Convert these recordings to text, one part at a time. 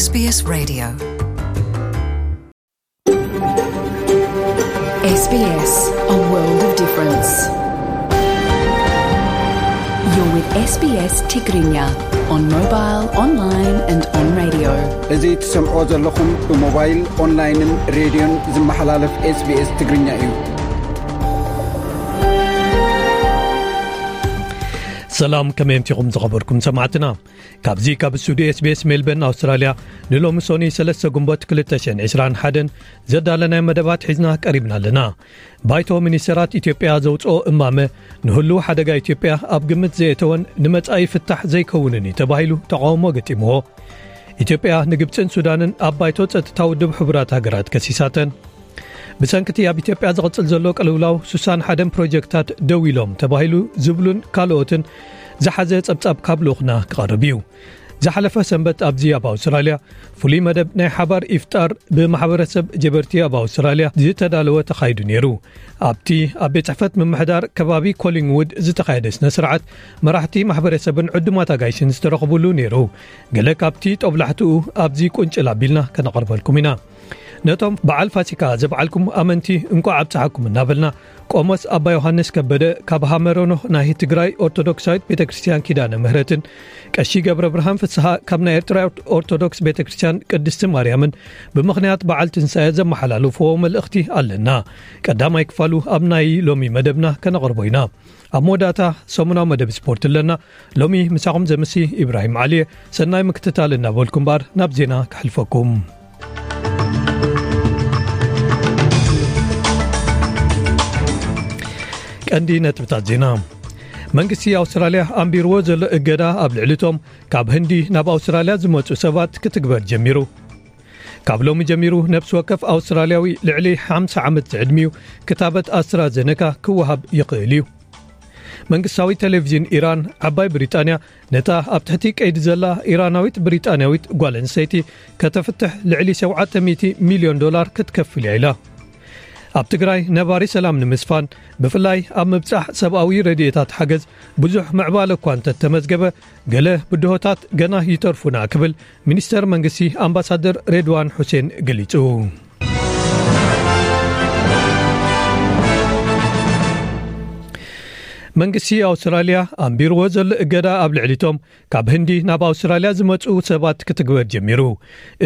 SBS Radio. SBS, a world of difference. You're with SBS Tigrinya on mobile, online and on radio. እዚ ትሰምዖ ዘለኹም ብሞባይል፣ ኦንላይንን ሬድዮን ዝመሓላለፍ SBS ትግርኛ እዩ። ሰላም፣ ከመይ ኣምሲኹም ዝኸበርኩም ሰማዕትና? ካብዚ ካብ ስቱዲዮ SBS ሜልበርን ኣውስትራልያ ንሎሚ ሶኒ ሰለስተ ግንቦት ክልተ ሽሕን ዕስራን ሓደን ዘዳለናዮ መደባት ሒዝና ቀሪብና ኣለና። ባይቶ ሚኒስተራት ኢትዮጵያ ዘውፅኦ እማመ ንህልው ሓደጋ ኢትዮጵያ ኣብ ግምት ዘየእተወን ንመጻኢ ፍታሕ ዘይከውንን እዩ ተባሂሉ ተቓውሞ ገጢምዎ። ኢትዮጵያ ንግብፅን ሱዳንን ኣብ ባይቶ ጸጥታ ውድብ ሕቡራት ሃገራት ከሲሳተን። ብሰንክቲ ኣብ ኢትዮጵያ ዝቕጽል ዘሎ ቅልውላው ሱሳን ሓደን ፕሮጀክታት ደው ኢሎም ተባሂሉ ዝብሉን ካልኦትን ዝሓዘ ጸብጻብ ካብ ልኡኽና ክቐርብ እዩ። ዝሓለፈ ሰንበት ኣብዚ ኣብ ኣውስትራልያ ፍሉይ መደብ ናይ ሓባር ኢፍጣር ብማሕበረሰብ ጀበርቲ ኣብ ኣውስትራልያ ዝተዳለወ ተኻይዱ ነይሩ። ኣብቲ ኣብ ቤት ጽሕፈት ምምሕዳር ከባቢ ኮሊንግውድ ዝተኻየደ ስነ ስርዓት መራሕቲ ማሕበረሰብን ዕዱማት ኣጋይሽን ዝተረኽቡሉ ነይሩ። ገለ ካብቲ ጦብላሕትኡ ኣብዚ ቁንጭል ኣቢልና ከነቕርበልኩም ኢና። ነቶም በዓል ፋሲካ ዘብዓልኩም ኣመንቲ እንቋዕ ኣብጽሓኩም እናበልና፣ ቆሞስ ኣባ ዮሃንስ ከበደ ካብ ሃመረኖ ናይ ትግራይ ኦርቶዶክሳዊት ቤተ ክርስቲያን ኪዳነ ምህረትን ቀሺ ገብረ ብርሃን ፍስሃ ካብ ናይ ኤርትራ ኦርቶዶክስ ቤተ ክርስቲያን ቅድስቲ ማርያምን ብምኽንያት በዓል ትንሳኤ ዘመሓላለፍዎ መልእኽቲ ኣለና። ቀዳማይ ክፋሉ ኣብ ናይ ሎሚ መደብና ከነቕርቦ ኢና። ኣብ መወዳእታ ሰሙናዊ መደብ ስፖርት ኣለና። ሎሚ ምሳኹም ዘምሲ ኢብራሂም ዓሊ እየ። ሰናይ ምክትታል እናበልኩም እምበኣር ናብ ዜና ከሕልፈኩም። ቀንዲ ነጥብታት ዜና። መንግስቲ ኣውስትራልያ ኣንቢርዎ ዘሎ እገዳ ኣብ ልዕሊ እቶም ካብ ህንዲ ናብ ኣውስትራልያ ዝመጹ ሰባት ክትግበር ጀሚሩ። ካብ ሎሚ ጀሚሩ ነፍሲ ወከፍ ኣውስትራልያዊ ልዕሊ ሓምሳ ዓመት ዝዕድሚኡ ክታበት ኣስትራዘነካ ክወሃብ ይኽእል እዩ። መንግስታዊ ቴሌቪዥን ኢራን፣ ዓባይ ብሪጣንያ ነታ ኣብ ትሕቲ ቀይዲ ዘላ ኢራናዊት ብሪጣንያዊት ጓል ኣንስተይቲ ከተፍትሕ ልዕሊ ሸውዓተ ሚእቲ ሚልዮን ዶላር ክትከፍል እያ ኢላ። ኣብ ትግራይ ነባሪ ሰላም ንምስፋን ብፍላይ ኣብ ምብጻሕ ሰብኣዊ ረድኤታት ሓገዝ ብዙሕ ምዕባለ እኳ እንተተመዝገበ፣ ገለ ብድሆታት ገና ይተርፉና ክብል ሚኒስተር መንግስቲ ኣምባሳደር ሬድዋን ሑሴን ገሊጹ። መንግስቲ ኣውስትራልያ ኣንቢርዎ ዘሎ እገዳ ኣብ ልዕሊቶም ካብ ህንዲ ናብ ኣውስትራልያ ዝመጹ ሰባት ክትግበር ጀሚሩ።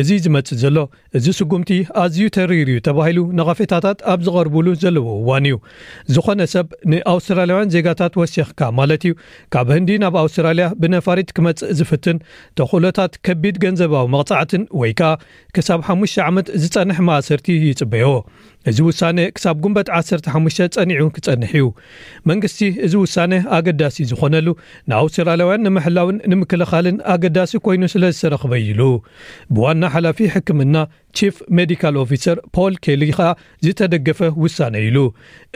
እዚ ዝመጽእ ዘሎ፣ እዚ ስጉምቲ ኣዝዩ ተሪር እዩ ተባሂሉ ነቐፌታታት ኣብ ዝቐርቡሉ ዘለዎ እዋን እዩ። ዝኾነ ሰብ ንኣውስትራልያውያን ዜጋታት ወሲኽካ ማለት እዩ፣ ካብ ህንዲ ናብ ኣውስትራልያ ብነፋሪት ክመጽእ ዝፍትን ተኽእሎታት ከቢድ ገንዘባዊ መቕጻዕትን ወይ ከኣ ክሳብ ሓሙሽተ ዓመት ዝጸንሕ ማእሰርቲ ይጽበዮ። እዚ ውሳነ ክሳብ ጉንበት ዓሰርተ ሓሙሽተ ጸኒዑ ክጸንሕ እዩ። መንግስቲ እዚ ውሳነ ኣገዳሲ ዝኾነሉ ንኣውስትራልያውያን ንምሕላውን ንምክልኻልን ኣገዳሲ ኮይኑ ስለ ዝተረኽበ እዩ ኢሉ። ብዋና ሓላፊ ሕክምና ቺፍ ሜዲካል ኦፊሰር ፖል ኬሊ ኸኣ ዝተደገፈ ውሳነ እዩ ኢሉ።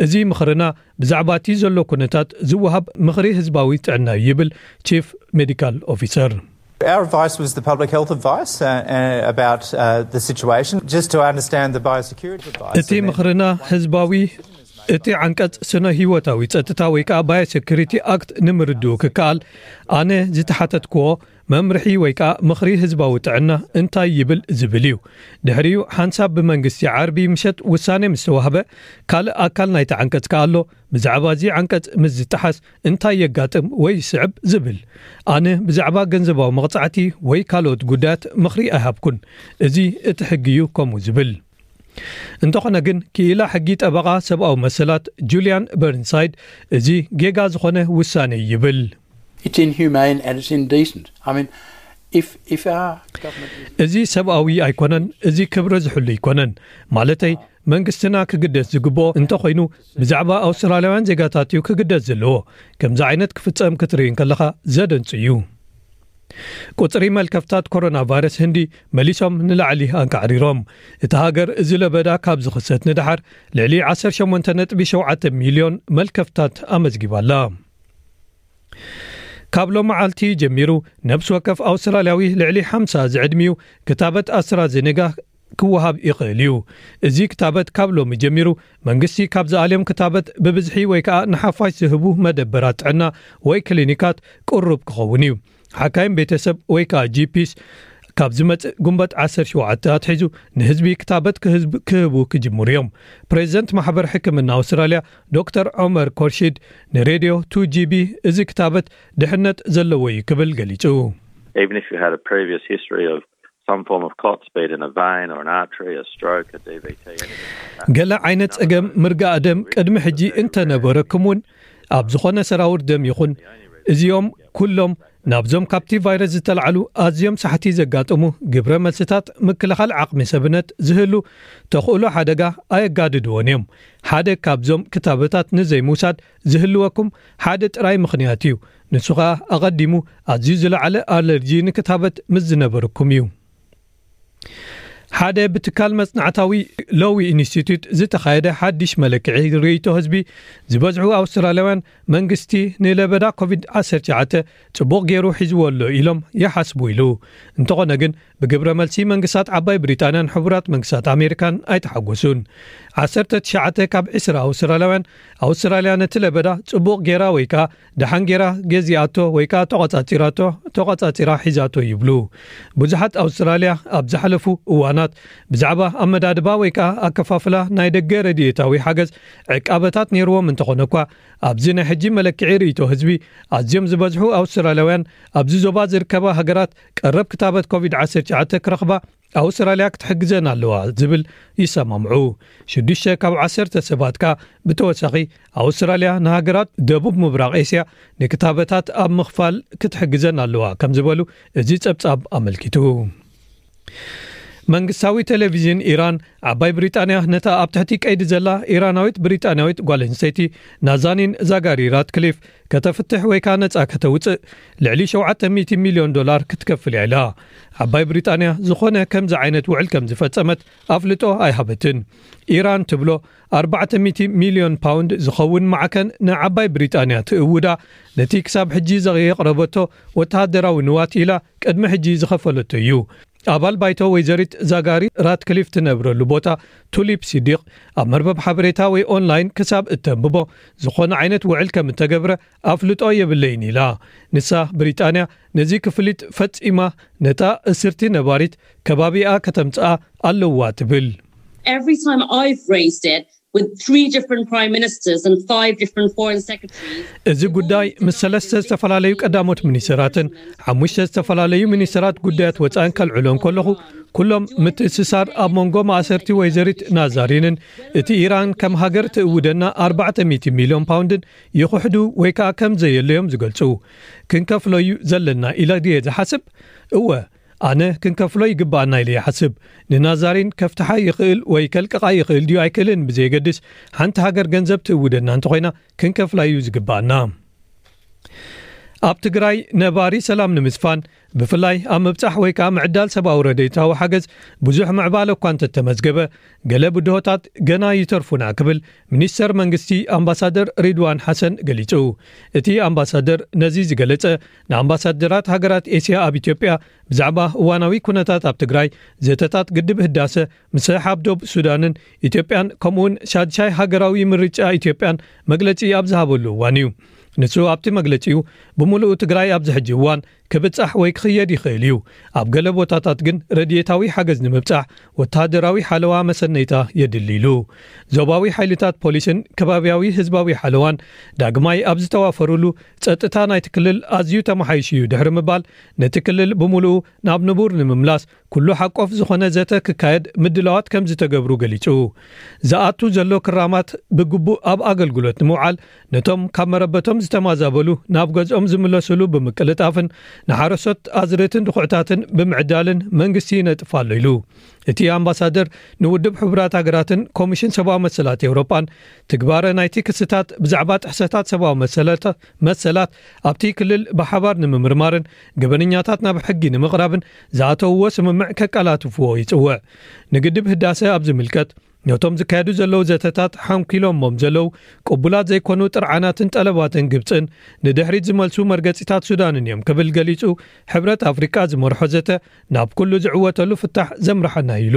እዚ ምኽርና ብዛዕባ እቲ ዘሎ ኩነታት ዝወሃብ ምኽሪ ህዝባዊ ጥዕና እዩ ይብል ቺፍ ሜዲካል ኦፊሰር። Our advice was the public health advice uh, uh, about uh, the situation, just to understand the biosecurity advice. እቲ ምኽርና ህዝባዊ፣ እቲ ዓንቀጽ ስነ ህይወታዊ ጸጥታ ወይ ከኣ ባዮሴኩሪቲ ኣክት ንምርድኡ ክከኣል፣ ኣነ ዝተሓተትክዎ መምርሒ ወይ ከኣ ምኽሪ ህዝባዊ ጥዕና እንታይ ይብል ዝብል እዩ። ድሕሪኡ ሓንሳብ ብመንግስቲ ዓርቢ ምሸት ውሳኔ ምስ ተዋህበ፣ ካልእ ኣካል ናይቲ ዓንቀጽ ከኣ ኣሎ፣ ብዛዕባ እዚ ዓንቀጽ ምስ ዝጠሓስ እንታይ የጋጥም ወይ ይስዕብ ዝብል። ኣነ ብዛዕባ ገንዘባዊ መቕጻዕቲ ወይ ካልኦት ጉዳያት ምኽሪ ኣይሃብኩን። እዚ እቲ ሕጊ እዩ ከምኡ ዝብል። እንተኾነ ግን፣ ክኢላ ሕጊ ጠበቓ ሰብኣዊ መሰላት ጁልያን በርንሳይድ፣ እዚ ጌጋ ዝኾነ ውሳኔ ይብል። It's inhumane and it's indecent. I mean, if, if our government is እዚ ሰብኣዊ ኣይኮነን፣ እዚ ክብሪ ዝሕሉ ኣይኮነን። ማለተይ፣ መንግስትና ክግደስ ዝግብኦ እንተኾይኑ፣ ብዛዕባ ኣውስትራልያውያን ዜጋታት እዩ ክግደስ ዘለዎ። ከምዚ ዓይነት ክፍጸም ክትርኢ እንከለኻ ዘደንጹ እዩ። ቁጽሪ መልከፍታት ኮሮና ቫይረስ ህንዲ መሊሶም ንላዕሊ ኣንቃዕሪሮም። እታ ሃገር እዚ ለበዳ ካብ ዝኽሰት ንደሓር ልዕሊ ዓሰርተ ሸሞንተ ነጥቢ ሸውዓተ ሚልዮን መልከፍታት ኣመዝጊባ ኣላ። ካብ ሎመዓልቲ ጀሚሩ ነብሲ ወከፍ ኣውስትራልያዊ ልዕሊ ሓምሳ ዝዕድሚኡ ክታበት ኣስትራዜኔጋ ክወሃብ ይኽእል እዩ። እዚ ክታበት ካብ ሎሚ ጀሚሩ መንግስቲ ካብ ዝኣልዮም ክታበት ብብዝሒ ወይ ከኣ ንሓፋሽ ዝህቡ መደበራት ጥዕና ወይ ክሊኒካት ቅሩብ ክኸውን እዩ። ሓካይም ቤተሰብ ወይ ከኣ ጂ ፒስ ካብ ዝመጽእ ጉንበት ዓሰርተ ሸውዓተ ኣትሒዙ ንህዝቢ ክታበት ክህዝብ-፣ ክህቡ ክጅምሩ እዮም። ፕሬዚደንት ማሕበር ሕክምና ኣውስትራልያ ዶክተር ዑመር ኮርሺድ ንሬድዮ ቱ ጂ ቢ እዚ ክታበት ድሕነት ዘለዎ እዩ ክብል ገሊጹ። Even if you had a previous history of some form of clots, be it in a vein or an artery, a stroke, a D V T, anything like that. ገለ ዓይነት ጸገም ምርጋእ ደም ቅድሚ ሕጂ እንተነበረኩም እውን፣ ኣብ ዝኾነ ሰራውር ደም ይኹን፣ እዚኦም ኩሎም ናብዞም ካብቲ ቫይረስ ዝተላዕሉ ኣዝዮም ሳሕቲ ዘጋጥሙ ግብረ መልስታት ምክልኻል ዓቕሚ ሰብነት ዝህሉ ተኽእሎ ሓደጋ ኣየጋድድዎን እዮም። ሓደ ካብዞም ክታበታት ንዘይምውሳድ ዝህልወኩም ሓደ ጥራይ ምኽንያት እዩ። ንሱ ኸኣ ኣቐዲሙ ኣዝዩ ዝለዓለ ኣለርጂ ንክታበት ምስ ዝነበርኩም እዩ። ሓደ ብትካል መጽናዕታዊ ሎዊ ኢንስቲትዩት ዝተኻየደ ሓድሽ መለክዒ ርእይቶ ህዝቢ፣ ዝበዝሑ ኣውስትራልያውያን መንግስቲ ንለበዳ ኮቪድ ዓሰርተ ትሽዓተ ጽቡቕ ገይሩ ሒዝዎ ኣሎ ኢሎም ይሓስቡ ኢሉ። እንተኾነ ግን ብግብረ መልሲ መንግስታት ዓባይ ብሪጣንያን ሕቡራት መንግስታት ኣሜሪካን ኣይተሓጎሱን። ዓሰርተ ትሽዓተ ካብ ዕስራ ኣውስትራልያውያን ኣውስትራልያ ነቲ ለበዳ ጽቡቕ ገይራ ወይ ከኣ ደሓን ገይራ ገዚኣቶ ወይ ከኣ ተቖጻጺራቶ፣ ተቖጻጺራ ሒዛቶ ይብሉ። ብዙሓት ኣውስትራልያ ኣብ ዝሓለፉ እዋናት ብዛዕባ ኣመዳድባ ወይ ከኣ ኣከፋፍላ ናይ ደገ ረድኤታዊ ሓገዝ ዕቃበታት ነይርዎም እንተኾነ እኳ፣ ኣብዚ ናይ ሕጂ መለክዒ ርእይቶ ህዝቢ ኣዝዮም ዝበዝሑ ኣውስትራልያውያን ኣብዚ ዞባ ዝርከባ ሃገራት ቀረብ ክታበት ኮቪድ ዓሰርተ ትሽዓተ ክረኽባ ኣውስትራልያ ክትሕግዘን ኣለዋ ዝብል ይሰማምዑ። ሽዱሽተ ካብ ዓሰርተ ሰባት ከኣ ብተወሳኺ ኣውስትራልያ ንሃገራት ደቡብ ምብራቕ ኤስያ ንክታበታት ኣብ ምኽፋል ክትሕግዘን ኣለዋ ከም ዝበሉ እዚ ጸብጻብ ኣመልኪቱ። መንግስታዊ ቴሌቪዥን ኢራን፣ ዓባይ ብሪጣንያ ነታ ኣብ ትሕቲ ቀይዲ ዘላ ኢራናዊት ብሪጣንያዊት ጓል ኣንስተይቲ ናዛኒን ዛጋሪ ራትክሊፍ ከተፍትሕ ወይ ከኣ ነጻ ከተውጽእ ልዕሊ ሸውዓተ ሚእቲ ሚልዮን ዶላር ክትከፍል እያ ኢላ። ዓባይ ብሪጣንያ ዝኾነ ከምዚ ዓይነት ውዕል ከም ዝፈጸመት ኣፍልጦ ኣይሃበትን። ኢራን ትብሎ ኣርባዕተ ሚእቲ ሚልዮን ፓውንድ ዝኸውን ማዕከን ንዓባይ ብሪጣንያ ትእውዳ፣ ነቲ ክሳብ ሕጂ ዘየቕረበቶ ወተሃደራዊ ንዋት ኢላ ቅድሚ ሕጂ ዝኸፈለቶ እዩ። ኣባል ባይቶ ወይዘሪት ዛጋሪ ራትክሊፍ ትነብረሉ ቦታ ቱሊፕ ሲዲቕ ኣብ መርበብ ሓበሬታ ወይ ኦንላይን ክሳብ እተንብቦ ዝኾነ ዓይነት ውዕል ከም እተገብረ ኣፍልጦ የብለይን ኢላ። ንሳ ብሪጣንያ ነዚ ክፍሊት ፈጺማ ነታ እስርቲ ነባሪት ከባቢኣ ከተምጽኣ ኣለዋ ትብል። Every time I've raised it with three different prime ministers and five different foreign secretaries, እዚ ጉዳይ ምስ ሰለስተ ዝተፈላለዩ ቀዳሞት ሚኒስትራትን ሓሙሽተ ዝተፈላለዩ ሚኒስትራት ጉዳያት ወጻእን ከልዕሎ እንከለኹ፣ ኩሎም ምትእስሳር ኣብ መንጎ ማእሰርቲ ወይዘሪት ናዛሪንን እቲ ኢራን ከም ሃገር ትእውደና ኣርባዕተ ሚእቲ ሚልዮን ፓውንድን ይኹሕዱ ወይ ከኣ ከም ዘየለዮም ዝገልጹ። ክንከፍሎ እዩ ዘለና ኢለ ድየ ዝሓስብ? እወ፣ ኣነ ክንከፍሎ ይግባኣና ኢለ ይሓስብ። ንናዛሪን ከፍትሓ ይኽእል ወይ ከልቅቓ ይኽእል ድዩ ኣይክእልን ብዘየገድስ፣ ሓንቲ ሃገር ገንዘብ ትእውደና እንተኾይና ክንከፍላ እዩ ዝግባኣና። ኣብ ትግራይ ነባሪ ሰላም ንምስፋን፣ ብፍላይ ኣብ ምብጻሕ ወይ ከኣ ምዕዳል ሰብኣዊ ረድኤታዊ ሓገዝ ብዙሕ ምዕባለ እኳ እንተተመዝገበ፣ ገለ ብድሆታት ገና ይተርፉና ክብል ሚኒስተር መንግስቲ ኣምባሳደር ሪድዋን ሓሰን ገሊጹ። እቲ ኣምባሳደር ነዚ ዝገለጸ ንኣምባሳደራት ሃገራት ኤስያ ኣብ ኢትዮጵያ ብዛዕባ እዋናዊ ኩነታት ኣብ ትግራይ፣ ዘተታት ግድብ ህዳሰ፣ ምስሕሓብ ዶብ ሱዳንን ኢትዮጵያን ከምኡውን ሻድሻይ ሃገራዊ ምርጫ ኢትዮጵያን መግለጺ ኣብ ዝሃበሉ እዋን እዩ። ንሱ ኣብቲ መግለጺኡ ብምሉኡ ትግራይ ኣብዚ ሕጂ እዋን ክብጻሕ ወይ ክኽየድ ይኽእል እዩ። ኣብ ገለ ቦታታት ግን ረድኤታዊ ሓገዝ ንምብጻሕ ወተሃደራዊ ሓለዋ መሰነይታ የድሊ ኢሉ። ዞባዊ ሓይልታት ፖሊስን ከባብያዊ ህዝባዊ ሓለዋን ዳግማይ ኣብ ዝተዋፈሩሉ ጸጥታ ናይቲ ክልል ኣዝዩ ተመሓይሹ እዩ ድሕሪ ምባል ነቲ ክልል ብምሉኡ ናብ ንቡር ንምምላስ ኩሉ ሓቆፍ ዝኾነ ዘተ ክካየድ ምድላዋት ከም ዝተገብሩ ገሊጹ። ዝኣቱ ዘሎ ክራማት ብግቡእ ኣብ ኣገልግሎት ንምውዓል ነቶም ካብ መረበቶም ዝተማዛበሉ ናብ ገዝኦም ዝምለስሉ ብምቅልጣፍን ንሓረስቶት ኣዝርእትን ድኹዕታትን ብምዕዳልን መንግስቲ ይነጥፍ ኣሎ ኢሉ። እቲ ኣምባሳደር ንውድብ ሕቡራት ሃገራትን ኮሚሽን ሰብኣዊ መሰላት ኤውሮጳን ትግባረ ናይቲ ክስታት ብዛዕባ ጥሕሰታት ሰብኣዊ መሰላት መሰላት ኣብቲ ክልል ብሓባር ንምምርማርን ገበነኛታት ናብ ሕጊ ንምቕራብን ዝኣተውዎ ስምምዕ ከቀላጥፍዎ ይጽውዕ። ንግድብ ህዳሰ ኣብ ዝምልከት ነቶም ዝካየዱ ዘለዉ ዘተታት ሓንኪሎሞም ዘለዉ ቅቡላት ዘይኮኑ ጥርዓናትን ጠለባትን ግብጽን ንድሕሪት ዝመልሱ መርገጺታት ሱዳንን እዮም ክብል ገሊጹ፣ ሕብረት ኣፍሪቃ ዝመርሖ ዘተ ናብ ኩሉ ዝዕወተሉ ፍታሕ ዘምርሓና ኢሉ።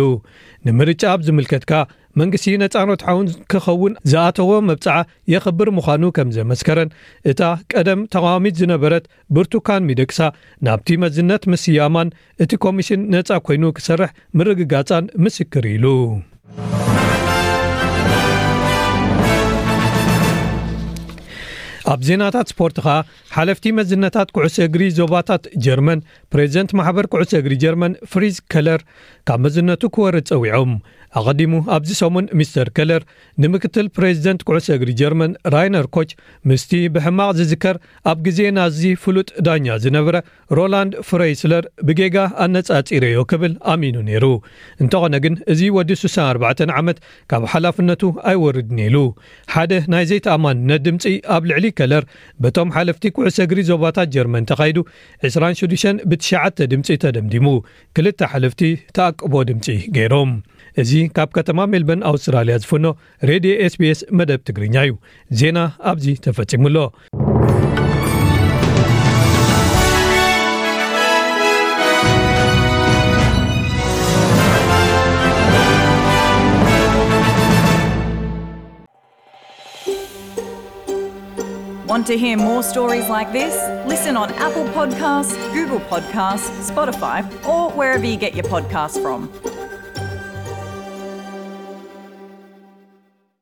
ንምርጫ ኣብ ዝምልከት ከኣ መንግስቲ ነጻ ርትዓውን ክኸውን ዝኣተዎ መብጽዓ የኽብር ምዃኑ ከም ዘመስከረን፣ እታ ቀደም ተቓዋሚት ዝነበረት ብርቱካን ሚደቅሳ ናብቲ መዝነት ምስያማን እቲ ኮሚሽን ነጻ ኮይኑ ክሰርሕ ምርግጋጻን ምስክር ኢሉ። ኣብ ዜናታት ስፖርት ኸኣ፣ ሓለፍቲ መዝነታት ኩዕሶ እግሪ ዞባታት ጀርመን፣ ፕሬዚደንት ማሕበር ኩዕሶ እግሪ ጀርመን ፍሪዝ ከለር ካብ መዝነቱ ክወርድ ጸዊዖም። ኣቐዲሙ ኣብዚ ሰሙን ሚስተር ከለር ንምክትል ፕሬዚደንት ኩዕሶ እግሪ ጀርመን ራይነር ኮች ምስቲ ብሕማቕ ዝዝከር ኣብ ግዜ ናዚ ፍሉጥ ዳኛ ዝነበረ ሮላንድ ፍሬይስለር ብጌጋ ኣነጻጺረዮ ክብል ኣሚኑ ነይሩ። እንተኾነ ግን እዚ ወዲ ስሳን ኣርባዕተን ዓመት ካብ ሓላፍነቱ ኣይወርድን ኢሉ። ሓደ ናይ ዘይተኣማንነት ድምጺ ኣብ ልዕሊ ከለር በቶም ሓለፍቲ ኩዕሶ እግሪ ዞባታት ጀርመን ተኻይዱ ዕስራን ሽዱሽተን ብትሽዓተ ድምጺ ተደምዲሙ። ክልተ ሓለፍቲ ተኣቅቦ ድምጺ ገይሮም። እዚ ካብ ከተማ ሜልበርን ኣውስትራልያ ዝፍኖ ሬድዮ ኤስቢኤስ መደብ ትግርኛ እዩ። ዜና ኣብዚ ተፈጺሙ ኣሎ። Want to hear more stories like this? Listen on Apple Podcasts, Google Podcasts, Spotify, or wherever you get your podcasts from.